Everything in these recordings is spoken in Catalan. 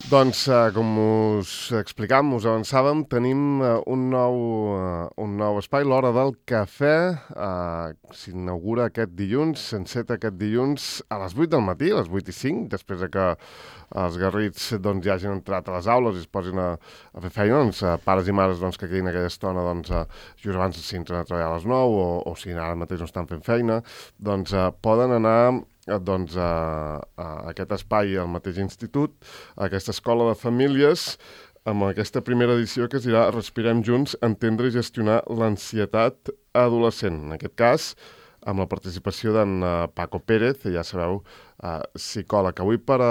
Doncs, com us explicàvem, us avançàvem, tenim un nou espai, l'Hora del Cafè. S'inaugura aquest dilluns, s'enceta aquest dilluns a les 8 del matí, a les 8 i 5, després de que els garrits doncs, ja hagin entrat a les aules i es posin a fer feina. Doncs, pares i mares doncs, que quedin aquella estona doncs, just abans si entren a treballar a les 9 o si ara mateix no estan fent feina, doncs poden anar doncs, a aquest espai al mateix institut, a aquesta escola de famílies, amb aquesta primera edició que es dirà Respirem junts, entendre i gestionar l'ansietat adolescent. En aquest cas, amb la participació d'en Paco Pérez, ja sabeu, psicòleg. Avui per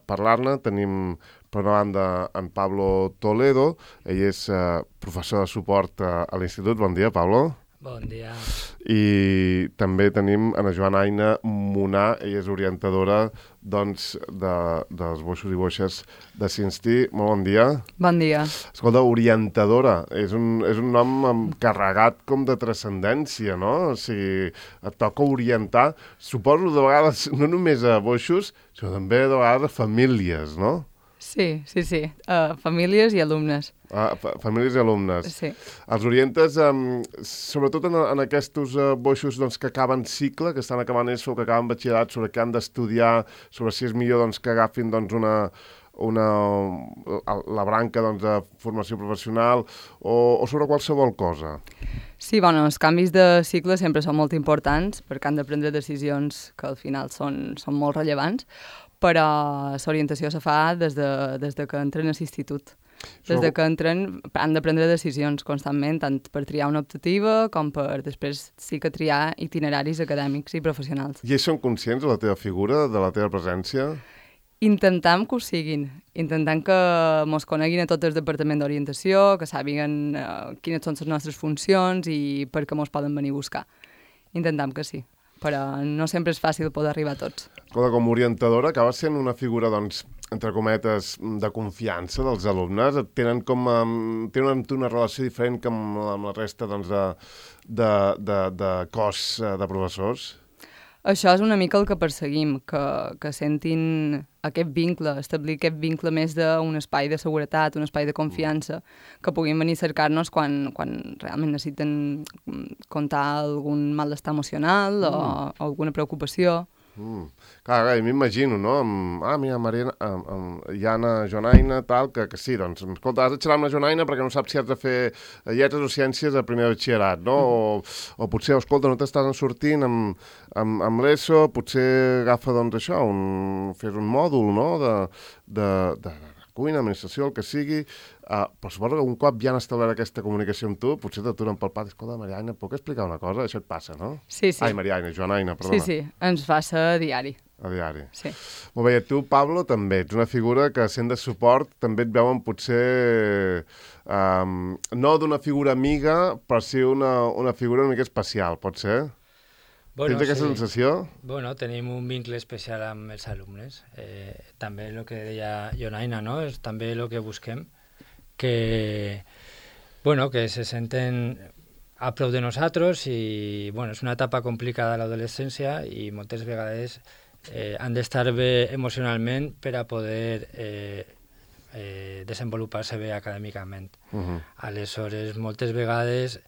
parlar-ne tenim, per una banda, en Pablo Toledo. Ell és professor de suport a l'institut. Bon dia, Pablo. Bon dia. I també tenim Ana Joana Aina Munà, ella és orientadora doncs, dels boixos i boixes de Cinstí. Molt bon dia. Bon dia. Escolta, orientadora, és un nom carregat com de transcendència, no? O sigui, et toca orientar, suposo de vegades, no només a boixos, sinó també de vegades a famílies, no? Sí. Famílies i alumnes. Famílies i alumnes. Sí. Els orientes, sobretot en aquests boixos doncs, que acaben cicle, que estan acabant ESO, que acaben batxillerat, sobre què han d'estudiar, sobre si és millor doncs, que agafin doncs, la branca doncs, de formació professional o sobre qualsevol cosa. Sí, els canvis de cicle sempre són molt importants perquè han de prendre decisions que al final són molt rellevants, però l'orientació se fa des de que entren a l'institut. Des de que entren han de prendre decisions constantment, tant per triar una optativa com per després sí que triar itineraris acadèmics i professionals. I ells són conscients de la teva figura, de la teva presència? Intentem que ho siguin, intentem que mos coneguin a tot el departament d'orientació, que sàpiguen quines són les nostres funcions i per què mos poden venir a buscar. Intentem que sí, però no sempre és fàcil poder arribar a tots. Escolta, com a orientadora acaba sent una figura, doncs, entre cometes, de confiança dels alumnes? Tenen una relació diferent que amb la resta doncs, de cos de professors? Això és una mica el que perseguim, que sentin aquest vincle, establir aquest vincle més d'un espai de seguretat, un espai de confiança, que puguin venir a cercar-nos quan realment necessiten contar algun malestar emocional o alguna preocupació. Clar, m'imagino, no? Mira, Jana, Joanaina, tal, que sí, doncs, escolta, has de xerrar amb la Joanaina perquè no saps si has de fer lletres o ciències a primer batxillerat, no? O potser, escolta, no t'estàs sortint amb l'ESO, potser agafa, doncs, això, fes un mòdul, no?, de cuina, administració, el que sigui, però suposo que un cop ja han establert aquesta comunicació amb tu, potser t'aturen pel pati, escolta, Mariaina, puc explicar una cosa? Això et passa, no? Sí. Ai, Mariaina, Joanaina, perdona. Sí, ens passa a diari. A diari. Sí. Molt bé, i tu, Pablo, també ets una figura que, sent de suport, també et veuen potser no d'una figura amiga, però sí una figura una mica especial, pot ser? Tens aquesta sensació? Bueno, tenim un vincle especial amb els alumnes. També el que deia Joanaina, no? És també el que busquem, que se senten a prop de nosaltres i és una etapa complicada a l'adolescència i moltes vegades han d'estar bé emocionalment per a poder desenvolupar-se bé acadèmicament. Aleshores, moltes vegades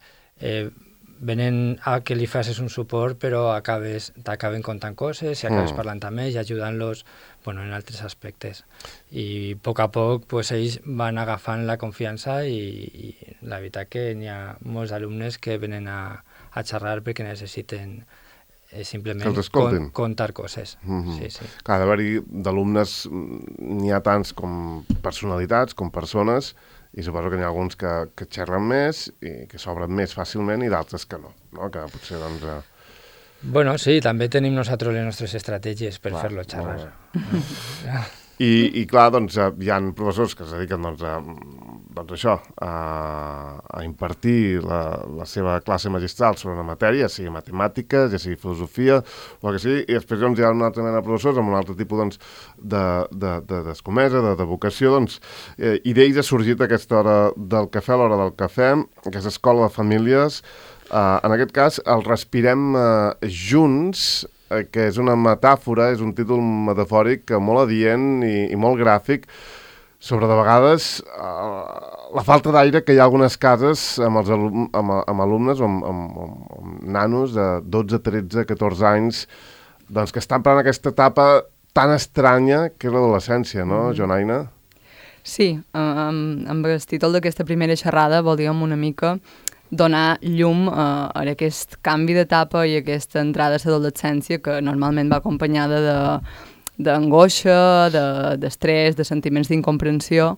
venen a que li facis un suport, però t'acaben contant coses i acabes parlant amb ells i ajudant-los en altres aspectes. I a poc ells van agafant la confiança i la veritat que n'hi ha molts alumnes que venen a xerrar perquè necessiten simplement contar coses. Sí. Clar, d'haver-hi d'alumnes n'hi ha tants com personalitats, com persones, i suposo que n'hi ha alguns que xerren més i que s'obren més fàcilment i d'altres que no? Que potser, doncs... Sí, també tenim nosaltres les nostres estratègies per fer-lo xerrar. I clar, doncs, hi ha professors que es dediquen a impartir la seva classe magistral sobre una matèria, ja sigui matemàtiques, ja sigui filosofia, o el que sigui, i després hi ha una altra mena de professors amb un altre tipus d'escomesa, de vocació, i d'ells ha sorgit aquesta hora del cafè, l'hora del cafè, aquesta escola de famílies. En aquest cas, el Respirem junts, que és una metàfora, és un títol metafòric molt adient i molt gràfic, sobre de vegades la falta d'aire que hi ha algunes cases amb, amb alumnes o amb nanos de 12, 13, 14 anys doncs que estan per aquesta etapa tan estranya que és l'adolescència, no, Jonaina? Sí, amb el títol d'aquesta primera xerrada volíem una mica donar llum a aquest canvi d'etapa i aquesta entrada a l'adolescència que normalment va acompanyada d'angoixa, d'estrès, de sentiments d'incomprensió,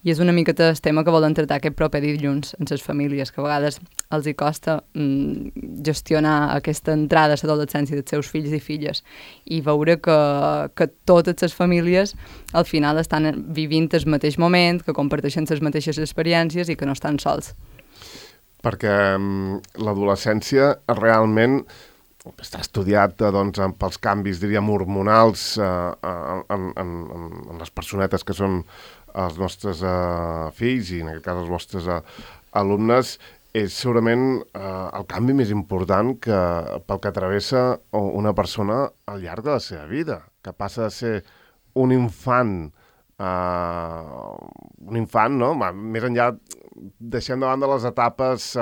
i és una miqueta el tema que volen tractar aquest proper dilluns en les famílies, que a vegades els hi costa gestionar aquesta entrada a l'adolescència dels seus fills i filles i veure que totes les famílies al final estan vivint el mateix moment, que comparteixen les mateixes experiències i que no estan sols. Perquè l'adolescència realment està estudiat doncs, pels canvis, diríem, hormonals en les personetes que són els nostres fills i en aquest cas els vostres alumnes, és segurament el canvi més important pel que travessa una persona al llarg de la seva vida, que passa de ser un infant, no? Més enllà, deixem de banda les etapes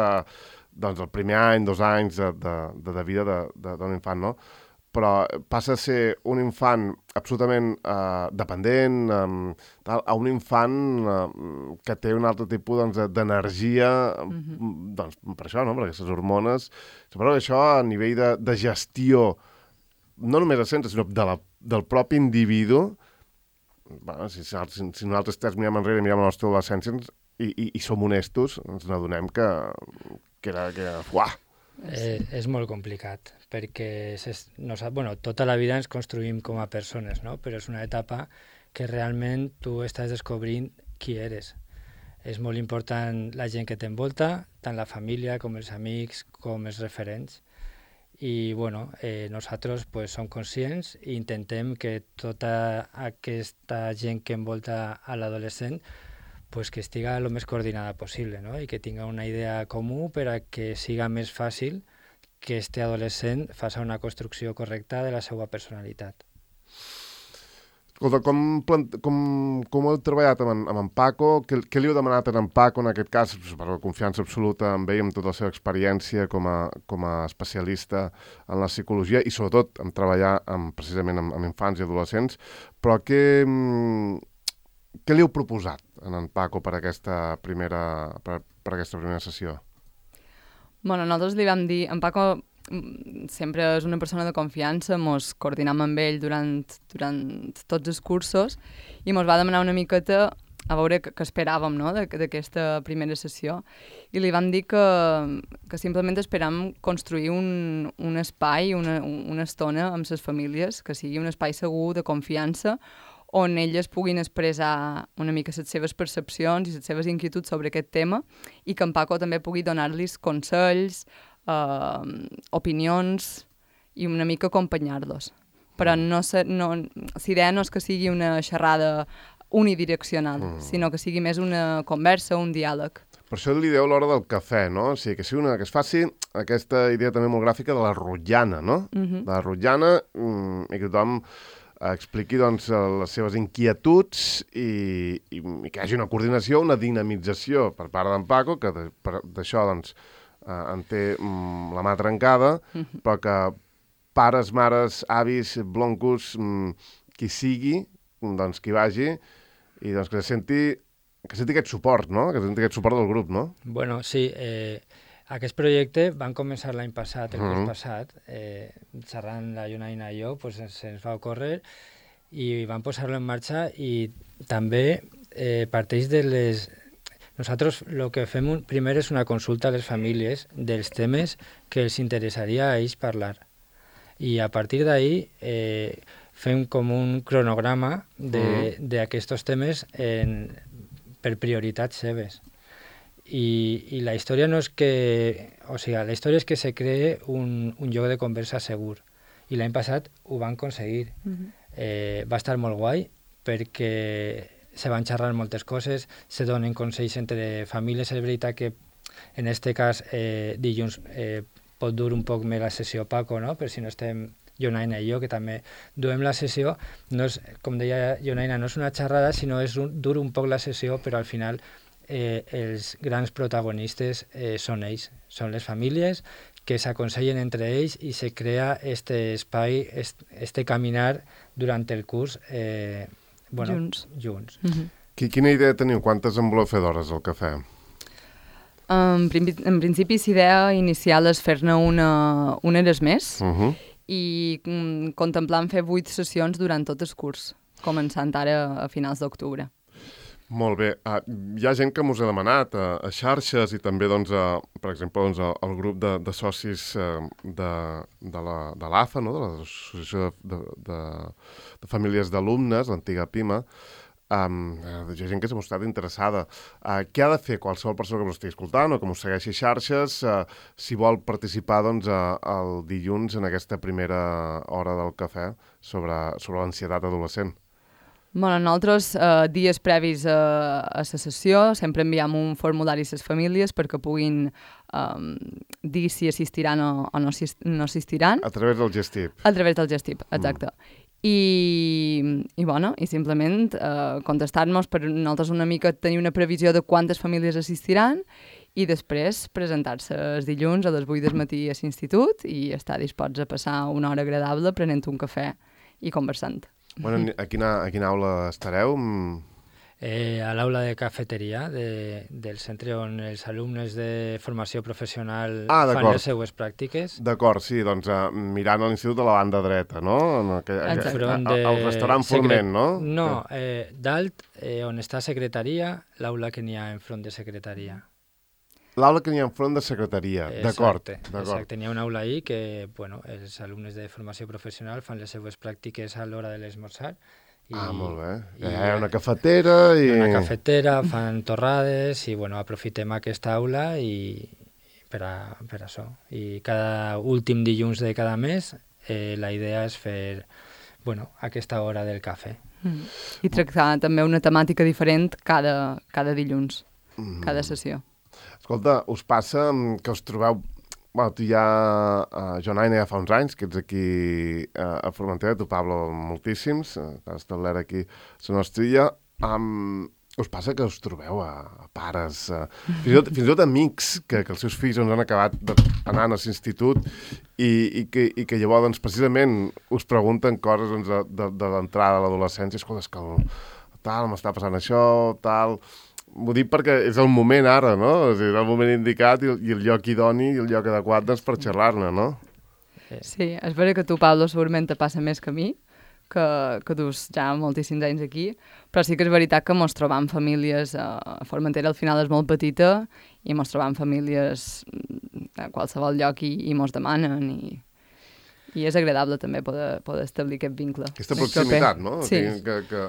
doncs el primer any, 2 anys de vida d'un infant, no? Però passa a ser un infant absolutament dependent a un infant que té un altre tipus doncs, d'energia, doncs, per això, no? Per aquestes hormones. Suposo que això a nivell de gestió, no només del centre, sinó del propi individu, bueno, si nosaltres tres mirem enrere i mirem la nostra adolescència i som honestos, ens n'adonem que era uah! És molt complicat, perquè tota la vida ens construïm com a persones, no? Però és una etapa que realment tu estàs descobrint qui eres. És molt important la gent que t'envolta, tant la família com els amics, com els referents. I nosaltres som conscients i intentem que tota aquesta gent que envolta a l'adolescent que estiga el més coordinada possible, no? I que tinga una idea comú per a que siga més fàcil que este adolescent faci una construcció correcta de la seva personalitat. Escolta, com heu treballat amb en Paco? Què li heu demanat a en Paco, en aquest cas, per la confiança absoluta en ell, amb tota la seva experiència com a especialista en la psicologia i sobretot en treballar precisament amb infants i adolescents, però què li heu proposat a en Paco per aquesta primera sessió? Bueno, nosaltres li vam dir, en Paco sempre és una persona de confiança, mos coordinam amb ell durant tots els cursos i mos va demanar una miqueta a veure què esperàvem, no?, d'aquesta primera sessió. I li vam dir que simplement esperam construir un espai, una estona amb les famílies, que sigui un espai segur, de confiança, on elles puguin expressar una mica les seves percepcions i les seves inquietuds sobre aquest tema i que en Paco també pugui donar-los consells, opinions i una mica acompanyar-los. Però l'idea no és que sigui una xerrada unidireccional, sinó que sigui més una conversa, un diàleg. Per això li dieu l'hora del cafè, no? O sigui, que es faci aquesta idea també molt gràfica de la rotllana, no? De la rotllana i que tothom expliqui doncs, les seves inquietuds i que hi hagi una coordinació, una dinamització per part d'en Paco, que d'això doncs, en té la mà trencada, però que pares, mares, avis, bloncos, qui sigui, doncs qui vagi, i doncs que senti aquest suport, no? Que senti aquest suport del grup, no? Bueno, sí, aquest projecte van començar l'any passat, el curs passat, xerrant la Jonaina i jo, se'ns va ocórrer i vam posar-lo en marxa i també parteix de les... Nosaltres el que fem primer és una consulta a les famílies dels temes que els interessaria a ells parlar. I a partir d'ahir fem com un cronograma d'aquests temes per prioritats seves. I la història no és que... O sigui, la història és que se cree un lloc de conversa segur. I l'any passat ho van aconseguir. Va estar molt guai perquè se van xerrar moltes coses, se donen consells entre famílies. És veritat que en aquest cas dilluns pot dur un poc més la sessió Paco, no? Per si no estem Jonaina i jo, que també duem la sessió, no és, com deia Jonaina, no és una xerrada, sinó dur un poc la sessió, però al final els grans protagonistes són ells, són les famílies que s'aconsellen entre ells i se crea este espai, este caminar durant el curs junts. Quina idea teniu? Quantes en voleu fer d'hores al cafè? En principi, la idea inicial és fer-ne una hores més i contemplant fer 8 sessions durant tot el curs, començant ara a finals d'octubre. Molt bé. Hi ha gent que m'us ha demanat a xarxes i també, doncs, per exemple, doncs, el grup de socis de l'AFA, no? De l'Associació de Famílies d'Alumnes, l'antiga PIMA. Hi ha gent que s'ha mostrat interessada. Què ha de fer qualsevol persona que m'ho estigui escoltant o que m'ho segueixi xarxes si vol participar doncs, el dilluns en aquesta primera hora del cafè sobre l'ansietat adolescent? Bueno, nosaltres, dies previs a la sessió, sempre enviem un formulari a les famílies perquè puguin dir si assistiran o no assistiran. A través del Gestip. A través del Gestip, exacte. I simplement contestar-nos per nosaltres una mica tenir una previsió de quantes famílies assistiran i després presentar-se els dilluns a les 8 del matí a l'institut i estar disposts a passar una hora agradable prenent un cafè i conversant. Bueno, a quina aula estareu? A l'aula de cafeteria del centre on els alumnes de formació professional fan les seues pràctiques. D'acord, sí, doncs mirant a l'institut de la banda dreta, no? El restaurant Forment, no? No, dalt, on està secretaria, l'aula que n'hi ha enfront de secretaria. L'aula que n'hi ha enfront de secretaria, d'acord. Exacte, n'hi ha una aula ahí que, bueno, els alumnes de formació professional fan les seues pràctiques a l'hora de l'esmorzar. Molt bé. Hi ha una cafetera i... Una cafetera, fan torrades i, bueno, aprofitem aquesta aula per això. I cada últim dilluns de cada mes la idea és fer, bueno, aquesta hora del cafè. I tractar també una temàtica diferent cada dilluns, cada sessió. Escolta, us passa que us trobeu... Bueno, tu ja, Jonaina, ja fa uns anys que ets aquí a Formentera, tu, Pablo, moltíssims, t'has establert aquí a la nostra illa. Us passa que us trobeu a pares, fins i tot amics, que els seus fills han acabat anant a l'institut i que llavors, doncs, precisament, us pregunten coses de l'entrada a l'adolescència. Escolta, és que tal, m'està passant això, tal... M'ho dic perquè és el moment ara, no? És el moment indicat i el lloc idoni i el lloc adequat doncs, per xerrar-ne, no? Sí, és vera que tu, Pablo, segurament te passa més que a mi, que dus ja moltíssims anys aquí, però sí que és veritat que mos trobam famílies, a Formentera al final és molt petita, i mos trobam famílies a qualsevol lloc i mos demanen, i és agradable també poder establir aquest vincle. Aquesta proximitat, no? Sí. Que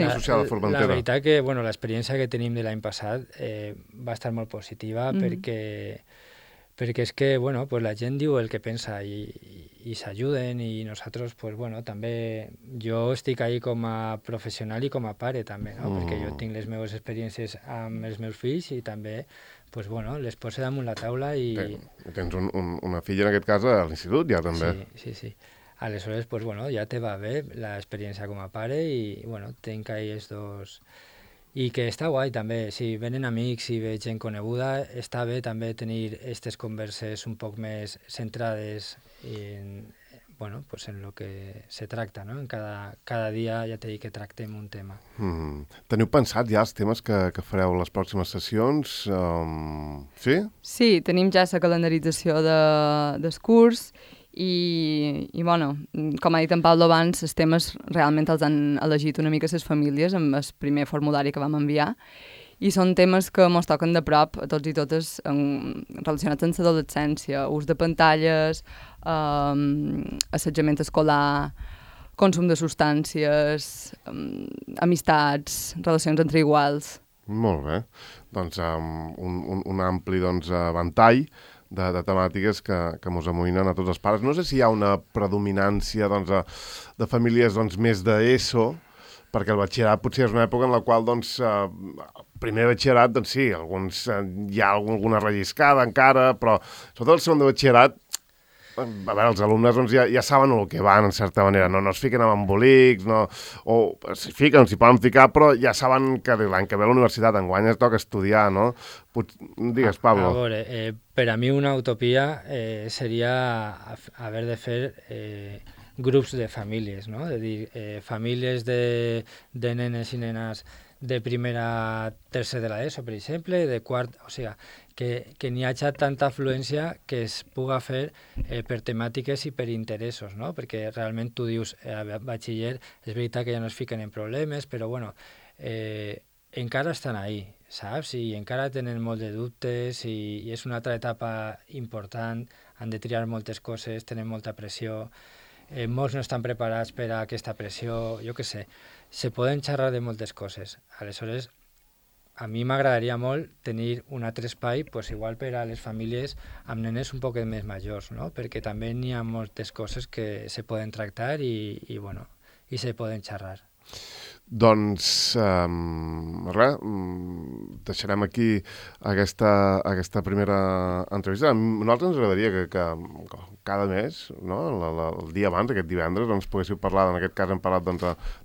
associada a Formentera. La veritat que, bueno, l'experiència que tenim de l'any passat va estar molt positiva perquè és que, bueno, pues la gent diu el que pensa i s'ajuden i nosaltres, pues, bueno, també jo estic ahí com a professional i com a pare també, no? Perquè jo tinc les meves experiències amb els meus fills i també pues, bueno, les posa damunt la taula i... Tens una filla, en aquest cas, a l'institut, ja també. Sí. Aleshores, pues, bueno, ja te va bé l'experiència com a pare i, bueno, tinc ahí els dos... I que està guai, també. Si venen amics i veig gent coneguda, està bé també tenir aquestes converses un poc més centrades en... Bueno, pues en lo que se tracta, ¿no? En cada dia ja t'he dit que tractem un tema. Teniu pensat ja els temes que fareu les pròximes sessions? Sí? Sí, tenim ja la calendarització del curs i bueno, com ha dit en Pablo abans, els temes realment els han elegit una mica les famílies amb el primer formulari que vam enviar i són temes que ens toquen de prop a tots i totes relacionats amb l'adolescència, ús de pantalles, assetjament escolar, consum de substàncies, amistats, relacions entre iguals. Molt bé. Doncs un ampli ventall de temàtiques que mos amoïnen a tots els pares. No sé si hi ha una predominància de famílies més d'ESO, perquè el batxillerat potser és una època en la qual, primer batxillerat, sí, hi ha alguna relliscada encara, però sobretot el segon de batxillerat a veure, els alumnes doncs, ja saben el que van, en certa manera, no es fiquen amb embolics, o s'hi fiquen, s'hi poden ficar, però ja saben que l'any que ve a la universitat enguany es toca estudiar, no? Digues, Pablo. A veure, per a mi una utopia seria haver de fer grups de famílies, no? És a dir, famílies de nenes i nenes de primera a tercer de l'ESO, per exemple, de quart, o sigui, que n'hi hagi tanta afluència que es puga fer per temàtiques i per interessos, no? Perquè realment tu dius, a batxiller, és veritat que ja no es fiquen en problemes, però bueno, encara estan ahí, saps? I encara tenen molt de dubtes i és una altra etapa important, han de triar moltes coses, tenen molta pressió, molts no estan preparats per a aquesta pressió, jo què sé, se poden xerrar de moltes coses. Aleshores, a mi m'agradaria molt tenir un altre espai, pues, igual per a les famílies amb nenes un poc més majors, no? Perquè també n'hi ha moltes coses que se poden tractar i se poden xerrar. Doncs, res, deixarem aquí aquesta primera entrevista. A nosaltres ens agradaria que cada mes, no? El dia abans, aquest divendres, doncs, poguéssiu parlar, en aquest cas hem parlat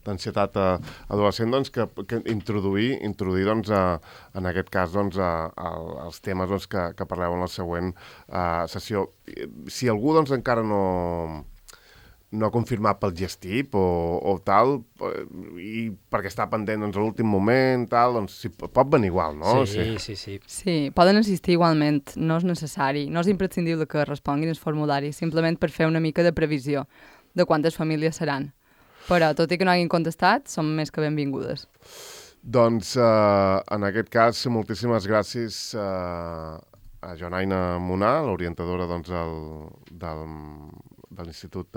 d'ansietat adolescent, doncs, que introduir doncs, en aquest cas, doncs, els temes doncs, que parleu en la següent sessió. Si algú doncs, encara no ha confirmat pel gestip o tal, i perquè està pendent doncs, a l'últim moment, tal, doncs pot venir igual, no? Sí. Sí, poden assistir igualment, no és necessari, no és imprescindible que responguin els formularis, simplement per fer una mica de previsió de quantes famílies seran. Però, tot i que no hagin contestat, són més que benvingudes. Doncs, en aquest cas, moltíssimes gràcies a Joanaina Munar, l'orientadora doncs, de l'Institut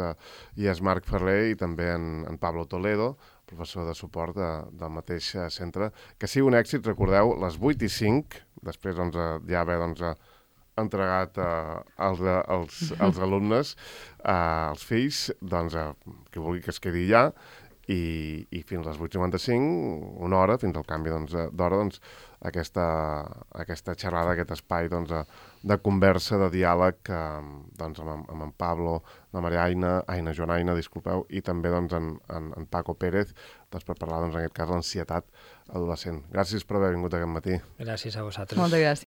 IES Marc Ferrer, i també en Pablo Toledo, professor de suport del mateix centre. Que sigui un èxit, recordeu, les 8:05, després doncs, ja haver entregat als alumnes, als fills, doncs, que vulgui que es quedi allà, i fins a les 8:55, una hora, fins al canvi d'hora, doncs, aquesta xerrada, aquest espai doncs, de conversa, de diàleg doncs, amb en Pablo, la Joanaina, disculpeu, i també doncs, en Paco Pérez, doncs, per parlar, doncs, en aquest cas, l'ansietat adolescent. Gràcies per haver vingut aquest matí. Gràcies a vosaltres. Moltes gràcies.